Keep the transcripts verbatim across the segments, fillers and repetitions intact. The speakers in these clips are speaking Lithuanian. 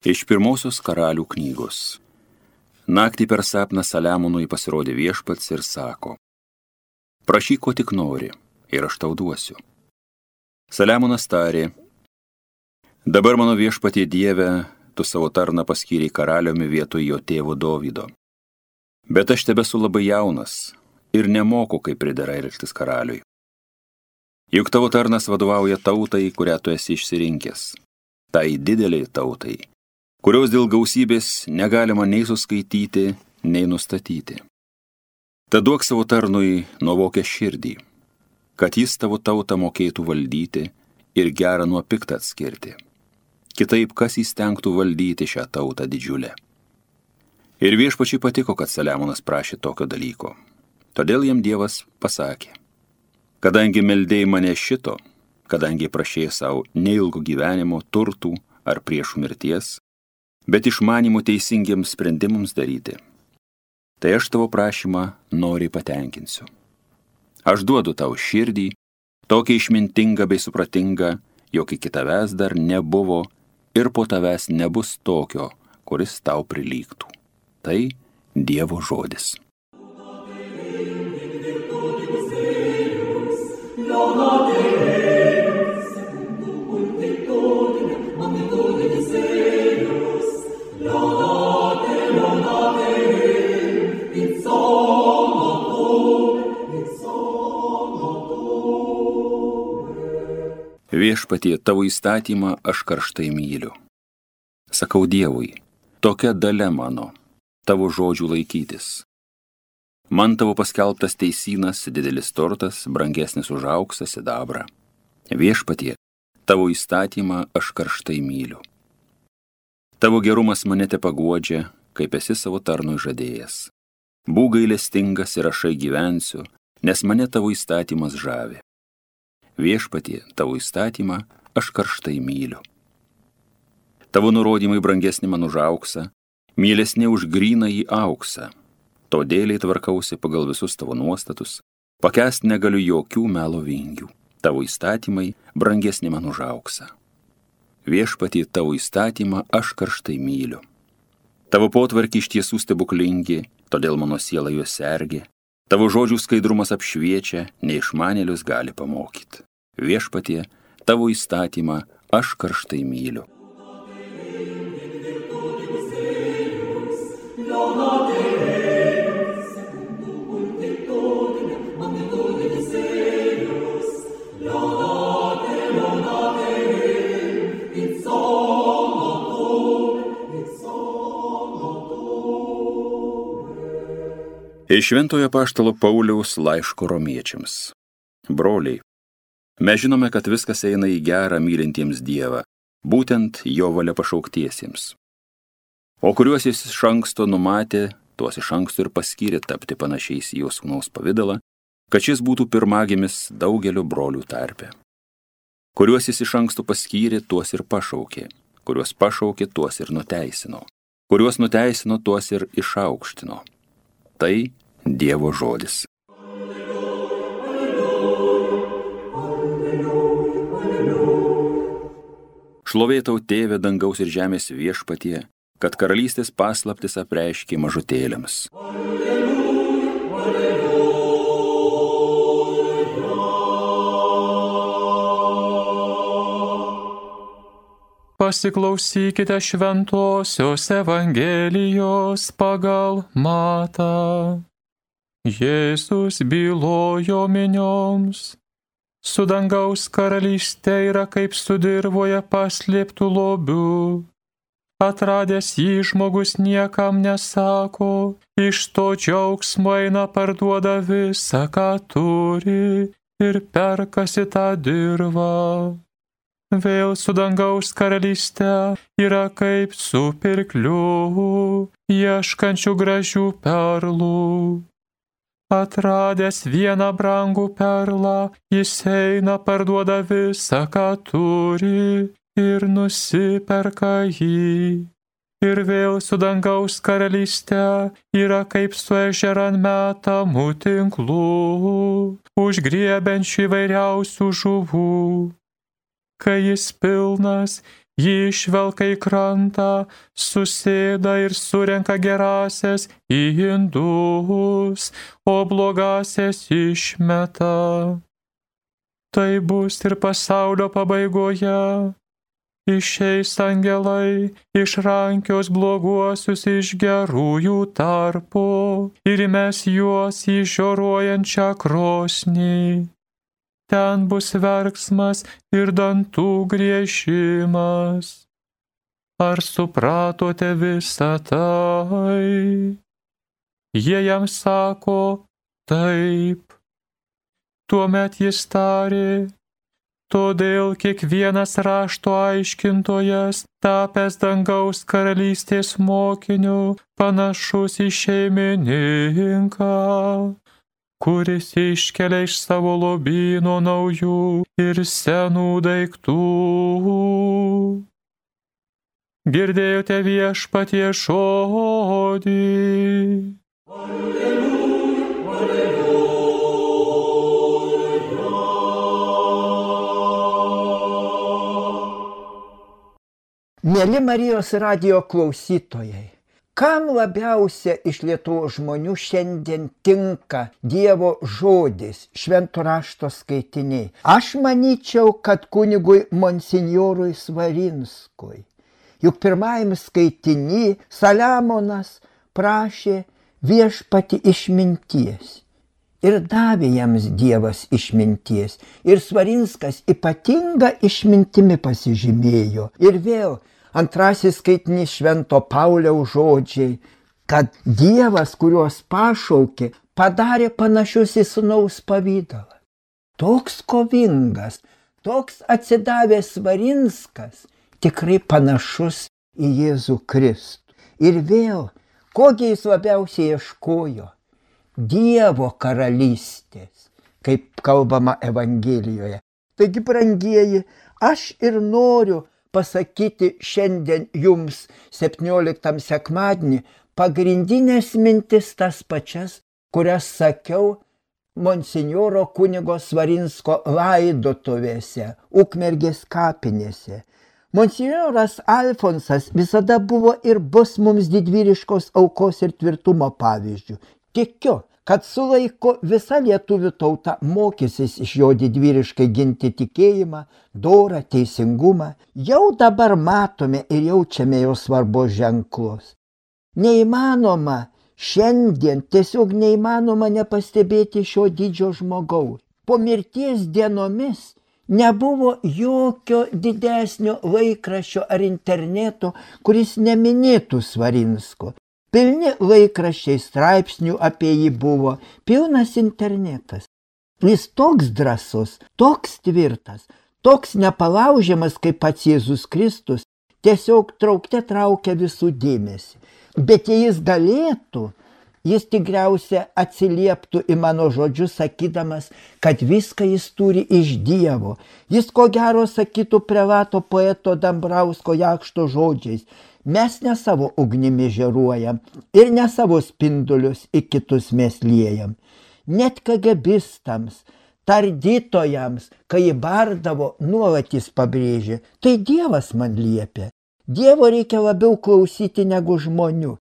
Iš pirmosios Karalių knygos. Naktį per sapną Saliamonui pasirodė Viešpats ir sako: prašyk, ko tik nori, ir aš tau duosiu. Saliamonas tarė: dabar mano Viešpatie Dieve, tu savo tarną paskyrei karaliumi vietoj jo tėvo Dovydo. Bet aš tebesu labai jaunas ir nemoku, kaip pridera elgtis karaliui. Juk tavo tarnas vadovauja tautai, kurią tu esi išsirinkęs, tai dideliai tautai, kurios dėl gausybės negalima nei suskaityti, nei nustatyti. Tad duok savo tarnui nuovokę širdį, kad jis tavo tautą mokėtų valdyti ir gerą nuo piktą atskirti. Kitaip, kas įstengtų valdyti šią tautą didžiulę. Ir Viešpačiui patiko, kad Saliamonas prašė tokio dalyko. Todėl jam Dievas pasakė: kadangi meldėjai mane šito, kadangi prašėjai savo neilgo gyvenimo, turtų ar priešų mirties, bet išmanymų teisingiems sprendimams daryti, tai aš tavo prašymą noriai patenkinsiu. Aš duodu tau širdį, tokia išmintinga bei supratinga, jog iki tavęs dar nebuvo ir po tavęs nebus tokio, kuris tau prilygtų. Tai Dievo žodis. Viešpatie, tavo įstatymą aš karštai myliu. Sakau Dievui, tokia dalia mano, tavo žodžių laikytis. Man tavo paskelbtas teisynas, didelis turtas, brangesnis už auksą, sidabrą. Viešpatie, tavo įstatymą aš karštai myliu. Tavo gerumas mane tepaguodžia, kaip esi savo tarnui žadėjęs. Būk gailestingas ir aš gyvensiu, nes mane tavo įstatymas žavi. Viešpatie, tavo įstatymą aš karštai myliu. Tavo nurodymai brangesni man už auksą, mielesni už grynąjį auksą. Todėl tvarkausi pagal visus tavo nuostatus, pakęst negaliu jokių melo vingių. Tavo įstatymai brangesni man už auksą. Viešpatie, tavo įstatymą aš karštai myliu. Tavo potvarkiai iš tiesų stebuklingi, todėl mano siela juos sergi. Tavo žodžių skaidrumas apšviečia, neišmanėlius gali pamokyti. Viešpatie, tavo įstatymą aš karštai myliu. Iš Šventojo apaštalo Pauliaus laiško romiečiams. Broliai, mes žinome, kad viskas eina į gerą mylintiems Dievą, būtent jo valia pašauktiesiems. O kuriuos jis iš anksto numatė, tuos iš anksto ir paskyrė tapti panašiais į jo sūnaus pavidalą, kad šis būtų pirmagimis daugelio brolių tarpe. Kuriuos jis iš anksto paskyrė, tuos ir pašaukė, kuriuos pašaukė, tuos ir nuteisino, kuriuos nuteisino, tuos ir išaukštino. Tai Dievo žodis. Šlovė tau, Tėve, dangaus ir žemės Viešpatie, kad karalystės paslaptis apreiškė mažutėliams. Pasiklausykite šventosios Evangelijos pagal Matą. Jėzus bylojo minioms: su dangaus karalystė yra kaip su dirvoje paslėptų lobių. Atradęs jį žmogus niekam nesako, iš to džiaugsmo eina parduoda visą, ką turi, ir perkasi tą dirvą. Vėl su dangaus karalystė yra kaip su pirkliu, ieškančių gražių perlų. Atradęs vieną brangų perlą, jis eina parduoda visą, ką turi, ir nusiperka jį. Ir vėl su dangaus karalystė yra kaip su ežeran metamų tinklų, užgriebiančių įvairiausių žuvų. Kai jis pilnas, Jį išvelka į krantą, susėda ir surenka gerasias į indus, o blogasias išmeta. Tai bus ir pasaulio pabaigoje. Išeis angelai, išrankios bloguosius iš gerųjų tarpo ir mes juos į žioruojančią krosnį. Ten bus verksmas ir dantų griežimas. Ar supratote visą tai? Jie jam sako, taip. Tuomet jis tarė, todėl kiekvienas rašto aiškintojas, tapęs dangaus karalystės mokiniu, panašus į šeimininką, kuris iškelia iš savo lobyno naujų ir senų daiktų. Girdėjote viešpatie žodį. Mieli Marijos radijo klausytojai, kam labiausia iš Lietuvos žmonių šiandien tinka Dievo žodis, švento rašto skaitiniai? Aš manyčiau, kad kunigui monsinjorui Svarinskui. Juk pirmajam skaitiny Saliamonas prašė viešpatį išminties. Ir davė jiems Dievas išminties. Ir Svarinskas ypatinga išmintimi pasižymėjo. Ir vėl antrasis skaitinys švento Pauliaus žodžiai, kad Dievas, kuriuos pašaukė, padarė panašius į sūnaus pavydalą. Toks kovingas, toks atsidavęs Svarinskas, tikrai panašus į Jėzų Kristų. Ir vėl, kogi jis labiausiai ieškojo? Dievo karalystės, kaip kalbama Evangelijoje. Taigi, brangieji, aš ir noriu pasakyti šiandien jums septynioliktam sekmadienį pagrindinės mintis tas pačias, kurias sakiau monsinjoro kunigo Svarinsko laidotuvėse, Ukmergės kapinėse. Monsinjoras Alfonsas visada buvo ir bus mums didvyriškos aukos ir tvirtumo pavyzdžių. Tikiu, kad su laiku visa lietuvių tauta mokysis iš jo didvyriškai ginti tikėjimą, dorą, teisingumą. Jau dabar matome ir jaučiame jo svarbos ženklus. Neįmanoma šiandien, tiesiog neįmanoma nepastebėti šio didžio žmogaus. Po mirties dienomis nebuvo jokio didesnio laikraščio ar interneto, kuris neminėtų Svarinsko. Pilni laikraščiai straipsnių apie jį buvo, pilnas internetas. Jis toks drąsus, toks tvirtas, toks nepalaužiamas kaip pats Jėzus Kristus, tiesiog traukte traukia visų dėmesį. Bet jei jis galėtų, jis tikriausiai atsilieptų į mano žodžius, sakydamas, kad viską jis turi iš Dievo. Jis ko gero sakytų prelato poeto Dambrausko Jakšto žodžiais: mes ne savo ugnimi žeruojam ir ne savo spindulius į kitus mes liejam. Net kagebistams, tardytojams, kai jį bardavo, nuolat jis pabrėžė: tai Dievas man liepia. Dievo reikia labiau klausyti negu žmonių.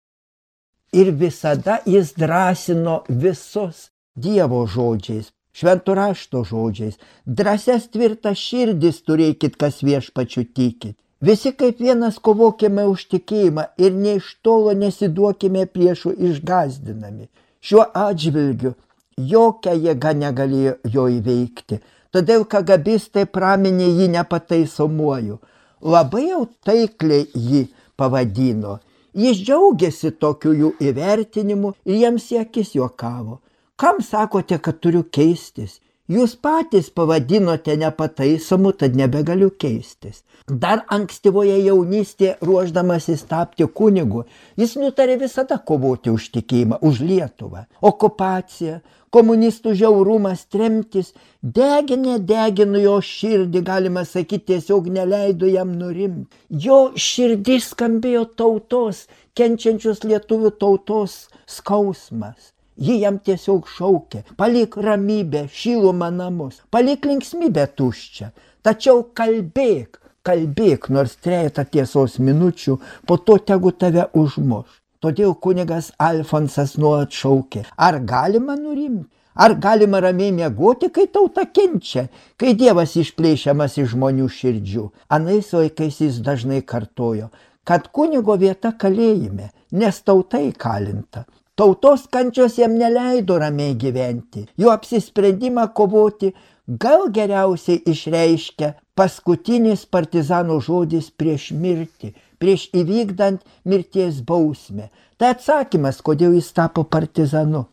Ir visada jis drąsino visus Dievo žodžiais, švento rašto žodžiais. Drąsias tvirtas širdis turėkit, kas viešpačiu tikit. Visi kaip vienas kovokime už tikėjimą ir ne iš tolo nesiduokime priešų išgazdinami. Šiuo atžvilgiu jokia jėga negalėjo jo įveikti, todėl kagabistai praminė jį nepataisomuoju. Labai jau taikliai jį pavadino. Jis džiaugiasi tokiu jų įvertinimu ir jiems į akis juokavo. Kam sakote, kad turiu keistis? Jūs patys pavadinote nepataisomu, tad nebegaliu keistis. Dar ankstyvoje jaunystėje, ruošdamasis tapti kunigu, jis nutarė visada kovoti už tikėjimą, už Lietuvą. Okupacija, komunistų žiaurumas, tremtis deginė degino jo širdį, galima sakyti, tiesiog neleido jam nurimti. Jo širdis skambėjo tautos, kenčiančios lietuvių tautos skausmas. Ji jam tiesiog šaukė: palik ramybę, šilumą namus, palik linksmybę tuščią, tačiau kalbėk, kalbėk nors trejetą tiesos minučių, po to tegu tave užmuš. Todėl kunigas Alfonsas nuolat šaukė, ar galima nurimti, ar galima ramiai miegoti, kai tauta kenčia, kai Dievas išplėšiamas iš žmonių širdžių. Anais laikais jis dažnai kartojo, kad kunigo vieta kalėjime, nes tauta įkalinta. Tautos kančios jam neleido ramiai gyventi, jo apsisprendimą kovoti gal geriausiai išreiškia paskutinis partizano žodis prieš mirtį, prieš įvykdant mirties bausmę. Tai atsakymas, kodėl jis tapo partizanu.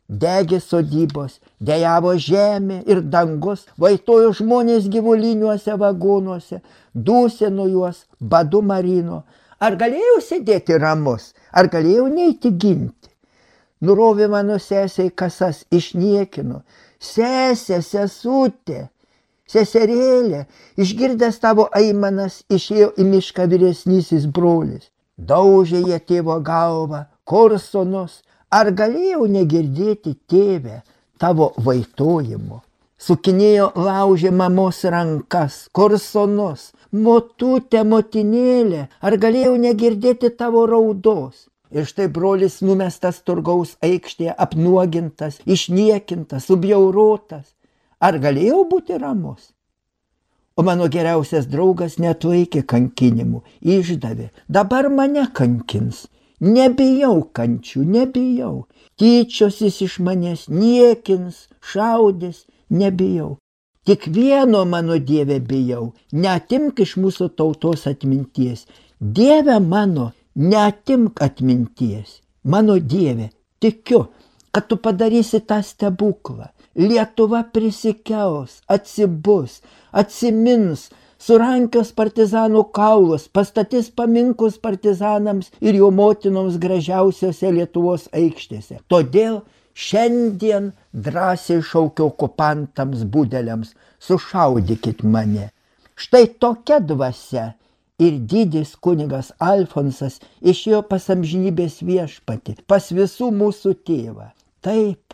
Degė sodybos, dejavo žemė ir dangus, vaitojo žmonės gyvuliniuose vagonuose, dūsino juos, badu marino. Ar galėjau sėdėti ramus, ar galėjau neiti ginti? Nurovė mano sesei kasas, išniekino. Sesė, sesutė, seserėlė, išgirdęs tavo aimanas, išėjo į mišką vyresnysis brolis. Daužė jie tėvo galvą, kur sūnus, ar galėjau negirdėti tėvę tavo vaitojimo? Sukinėjo laužė mamos rankas, kur sūnus, motutė, motinėlė, ar galėjau negirdėti tavo raudos? Ir štai brolis numestas turgaus aikštėje, apnuogintas, išniekintas, subjaurotas. Ar galėjau būti ramus? O mano geriausias draugas neatlaikė kankinimų, išdavė. Dabar mane kankins. Nebijau kančių, nebijau. Tyčiosis iš manęs, niekins, šaudės, nebijau. Tik vieno mano Dieve bijau, neatimk iš mūsų tautos atminties. Dieve mano, neatimk atminties. Mano Dieve, tikiu, kad tu padarysi tą stebuklą. Lietuva prisikels, atsibus, atsimins, surankios partizanų kaulus, pastatys paminklus partizanams ir jo motinoms gražiausiose Lietuvos aikštėse. Todėl šiandien drąsiai šaukiu okupantams budeliams, sušaudykit mane. Štai tokia dvasia ir didis kunigas Alfonsas išėjo pas amžinybės viešpatį, pas visų mūsų tėvą. Taip,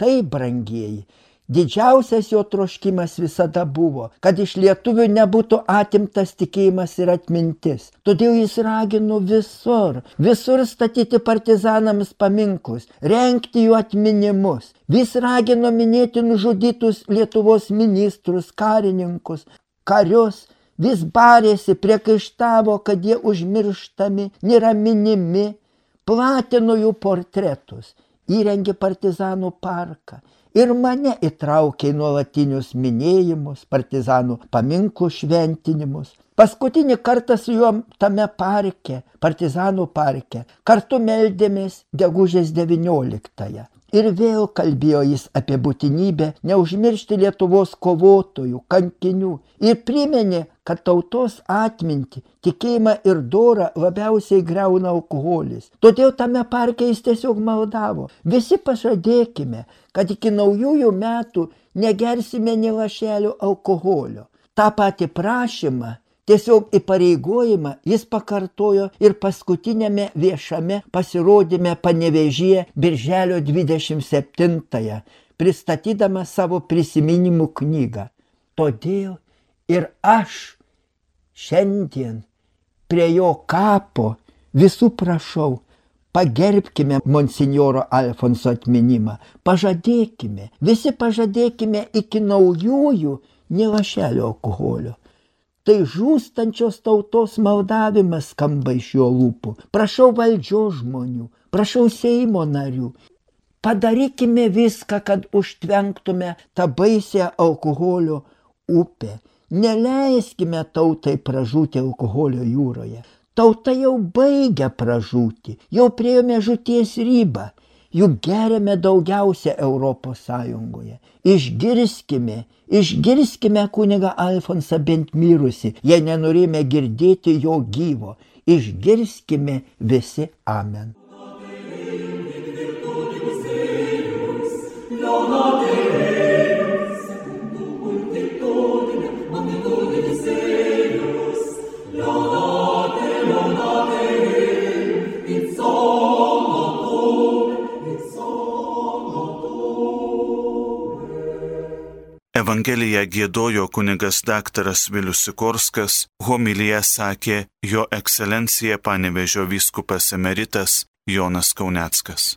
taip, brangieji, didžiausias jo troškimas visada buvo, kad iš lietuvių nebūtų atimtas tikėjimas ir atmintis. Todėl jis ragino visur, visur statyti partizanams paminklus, rengti jų atminimus. Vis ragino minėti nužudytus Lietuvos ministrus, karininkus, karius, vis barėsi, priekaištavo, kad jie užmirštami, nėra minimi, platino jų portretus, įrengė partizanų parką. Ir mane įtraukė į nuolatinius minėjimus, partizanų paminklų šventinimus. Paskutinį kartą su juo tame parke, partizanų parke, kartu meldėmės gegužės devynioliktąją. Ir vėl kalbėjo jis apie būtinybę neužmiršti Lietuvos kovotojų, kankinių ir priminė, kad tautos atmintį, tikėjimą ir dorą labiausiai griauna alkoholis. Todėl tame parke jis tiesiog maldavo. Visi pažadėkime, kad iki naujųjų metų negersime nė lašelio alkoholio. Ta pati prašymą, tiesiog įpareigojimą jis pakartojo ir paskutinėme viešame pasirodyme Panevėžyje birželio dvidešimt septintąją, pristatydama savo prisiminimų knygą. Todėl ir aš šiandien prie jo kapo visų prašau, pagerbkime monsinjoro Alfonso atminimą, pažadėkime, visi pažadėkime iki naujųjų nė lašelio alkoholio. Tai žūstančios tautos maldavimas skamba iš jo lūpų. Prašau valdžios žmonių, prašau Seimo narių. Padarykime viską, kad užtvenktume tą baisią alkoholio upę. Neleiskime tautai pražūti alkoholio jūroje. Tauta jau baigia pražūti, jau priėjome žūties ribą. Juk geriame daugiausia Europos Sąjungoje. Išgirskime, išgirskime kunigą Alfonsą bent mirusi, jei nenorime girdėti jo gyvo. Išgirskime visi. Amen. Evangeliją giedojo kunigas daktaras Vilius Sikorskas, homiliją sakė jo ekscelencija Panevėžio vyskupas emeritas Jonas Kauneckas.